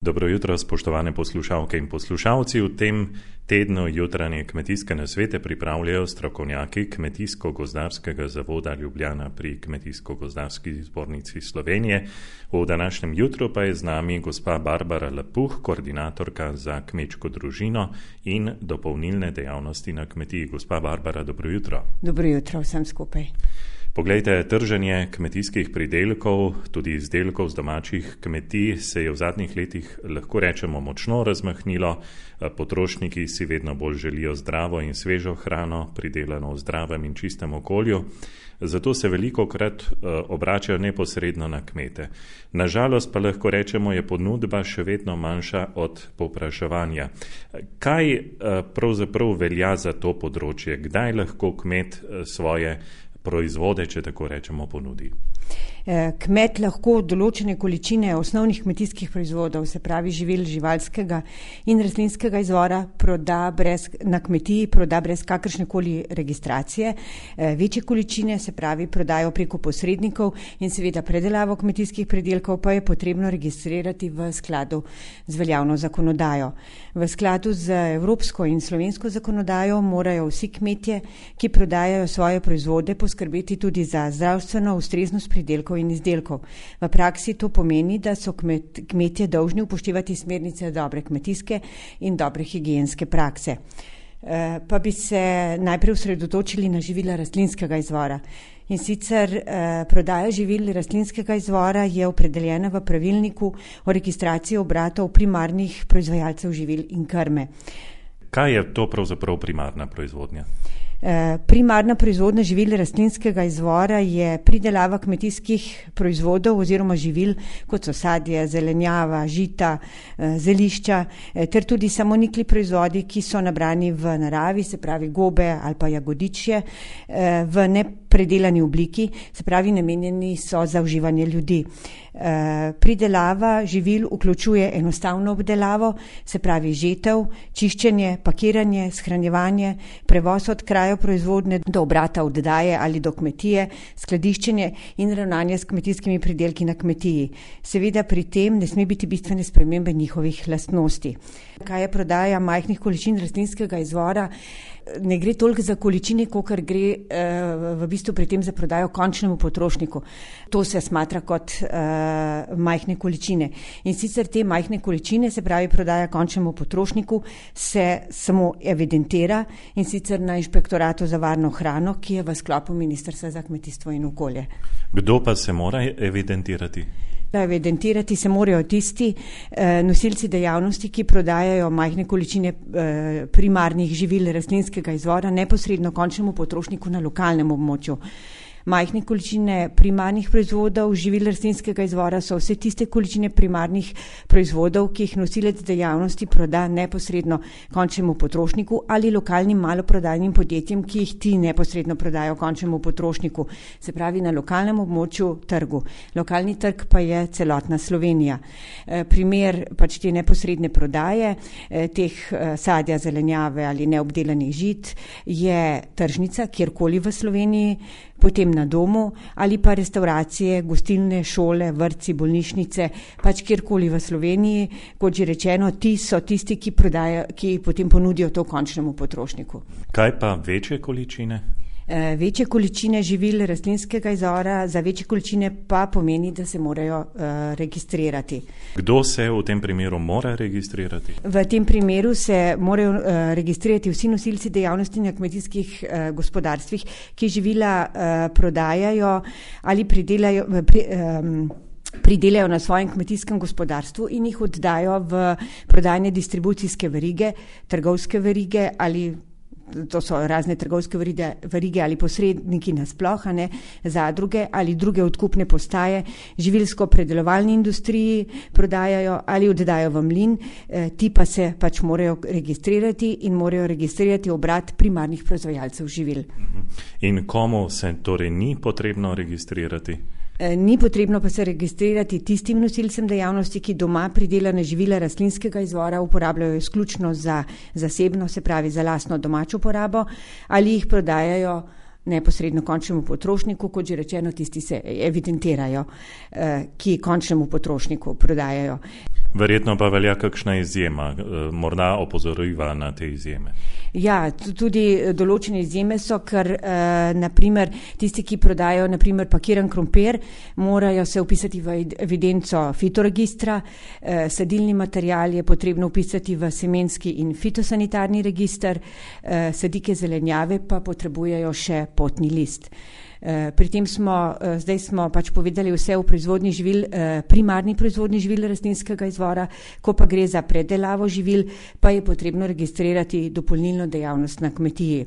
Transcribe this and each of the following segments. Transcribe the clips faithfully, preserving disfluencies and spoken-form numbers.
Dobro jutro, spoštovane poslušalke in poslušalci. V tem tednu jutranje kmetijske nasvete pripravljajo strokovnjaki Kmetijsko-gozdarskega zavoda Ljubljana pri Kmetijsko-gozdarski zbornici Slovenije. V današnjem jutru pa je z nami gospa Barbara Lapuh, koordinatorka za kmečko družino in dopolnilne dejavnosti na kmetiji. Gospa Barbara, dobro jutro. Dobro jutro vsem skupaj. Poglejte, trženje kmetijskih pridelkov, tudi izdelkov z domačih kmetij, se je v zadnjih letih, lahko rečemo, močno razmahnilo. Potrošniki si vedno bolj želijo zdravo in svežo hrano, pridelano v zdravem in čistem okolju. Zato se velikokrat obračajo neposredno na kmete. Nažalost pa lahko rečemo, je ponudba še vedno manjša od povpraševanja. Kaj pravzaprav velja za to področje? Kdaj lahko kmet svoje proizvode, če tako rečemo, ponudi? Kmet lahko določene količine osnovnih kmetijskih proizvodov, se pravi živil živalskega in rastlinskega izvora, proda brez, na kmetiji proda brez kakršnekoli registracije. Večje količine, se pravi, prodajo preko posrednikov in seveda predelavo kmetijskih pridelkov pa je potrebno registrirati v skladu z veljavno zakonodajo. V skladu z evropsko in slovensko zakonodajo morajo vsi kmetje, ki prodajajo svoje proizvode, poskrbeti tudi za zdravstveno ustreznost pridelkov in izdelkov. V praksi to pomeni, da so kmet, kmetje dolžni upoštevati smernice dobre kmetijske in dobre higienske prakse. E, pa bi se najprej osredotočili na živila rastlinskega izvora. In sicer eh, prodaja živil rastlinskega izvora je opredeljena v pravilniku o registraciji obratov primarnih proizvajalcev živil in krme. Kaj je to pravzaprav primarna proizvodnja? Primarna proizvodnja živil rastlinskega izvora je pridelava kmetijskih proizvodov oziroma živil, kot so sadje, zelenjava, žita, zelišča, ter tudi samonikli proizvodi, ki so nabrani v naravi, se pravi gobe ali pa jagodičje, v nepredelani obliki, se pravi namenjeni so za uživanje ljudi. Pridelava živil vključuje enostavno obdelavo, se pravi žetev, čiščenje, pakiranje, shranjevanje, prevoz od kraja proizvodnje do obrata oddaje ali do kmetije, skladiščenje in ravnanje s kmetijskimi pridelki na kmetiji. Seveda pri tem ne sme biti bistvene spremembe njihovih lastnosti. Kaj je prodaja majhnih količin rastlinskega izvora? Ne gre toliko za količine, kolikor gre uh, v bistvu pri tem za prodajo končnemu potrošniku. To se smatra kot uh, majhne količine. In sicer te majhne količine, se pravi prodaja končnemu potrošniku, se samo evidentira in sicer na Inšpektoratu za varno hrano, ki je v sklopu Ministrstva za kmetijstvo in okolje. Kdo pa se mora evidentirati? Evidentirati se morajo tisti eh, nosilci dejavnosti, ki prodajajo majhne količine eh, primarnih živil rastlinskega izvora neposredno končnemu potrošniku na lokalnem območju. Majhne količine primarnih proizvodov živil rastlinskega izvora so vse tiste količine primarnih proizvodov, ki jih nosilec dejavnosti proda neposredno končnemu potrošniku ali lokalnim maloprodajnim podjetjem, ki jih ti neposredno prodajo končnemu potrošniku, se pravi na lokalnem območju trgu. Lokalni trg pa je celotna Slovenija. Primer pač te neposredne prodaje teh sadja, zelenjave ali neobdelanih žit je tržnica kjerkoli v Sloveniji, potem na domu ali pa restauracije, gostilne, šole, vrtci, bolnišnice, pač kjerkoli v Sloveniji. Kot že rečeno, ti so tisti, ki prodajo, ki potem ponudijo to končnemu potrošniku. Kaj pa večje količine? E, večje količine živil rastlinskega izvora, za večje količine pa pomeni, da se morajo e, registrirati. Kdo se v tem primeru mora registrirati? V tem primeru se morajo e, registrirati vsi nosilci dejavnosti na kmetijskih e, gospodarstvih, ki živila e, prodajajo ali pridelajo pri, e, pridelajo na svojem kmetijskem gospodarstvu in jih oddajo v prodajne distribucijske verige, trgovske verige ali to so razne trgovske verige, verige ali posredniki nasploh, ne, zadruge ali druge odkupne postaje, živilsko-predelovalni industriji prodajajo ali oddajo v mlin, eh, ti pa se pač morajo registrirati in morajo registrirati obrat primarnih proizvajalcev živil. In komu se torej ni potrebno registrirati? Ni potrebno pa se registrirati tistim nosilcem dejavnosti, ki doma pridelane živila rastlinskega izvora uporabljajo izključno za zasebno, se pravi za lastno domačo porabo, ali jih prodajajo neposredno končnemu potrošniku, kot že rečeno, tisti se evidentirajo, ki končnemu potrošniku prodajajo. Verjetno pa velja kakšna izjema, morda opozoriva na te izjeme. Ja, tudi določene izjeme so, ker eh, naprimer tisti, ki prodajo naprimer pakiran krompir, morajo se upisati v evidenco fitoregistra, eh, sadilni material je potrebno upisati v semenski in fitosanitarni register, eh, sadike zelenjave pa potrebujejo še potni list. Pri tem smo, zdaj smo pač povedali vse o proizvodnji živil, primarni proizvodnji živil rastlinskega izvora, ko pa gre za predelavo živil, pa je potrebno registrirati dopolnilno dejavnost na kmetiji.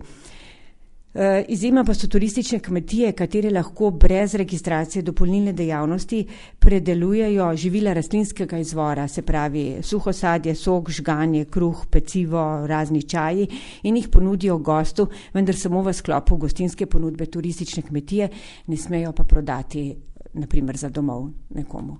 Izjema pa so turistične kmetije, katere lahko brez registracije dopolnilne dejavnosti predelujejo živila rastlinskega izvora, se pravi suho sadje, sok, žganje, kruh, pecivo, razni čaji in jih ponudijo gostu, vendar samo v sklopu gostinske ponudbe turistične kmetije, ne smejo pa prodati naprimer za domov nekomu.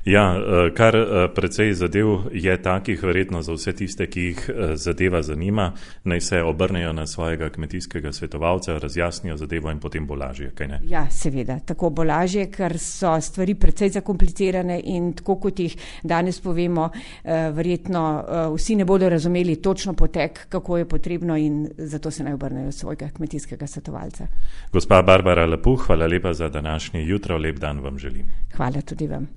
Ja, kar precej zadev je takih, verjetno za vse tiste, ki jih zadeva zanima, naj se obrnejo na svojega kmetijskega svetovalca, razjasnijo zadevo in potem bo lažje, kaj ne? Ja, seveda, tako bo lažje, ker so stvari precej zakomplicirane in tako kot jih danes povemo, verjetno vsi ne bodo razumeli točno potek, kako je potrebno in zato se naj obrnejo svojega kmetijskega svetovalca. Gospa Barbara Lepuh, hvala lepa za današnje jutro, lep dan vam želim. Hvala tudi vam.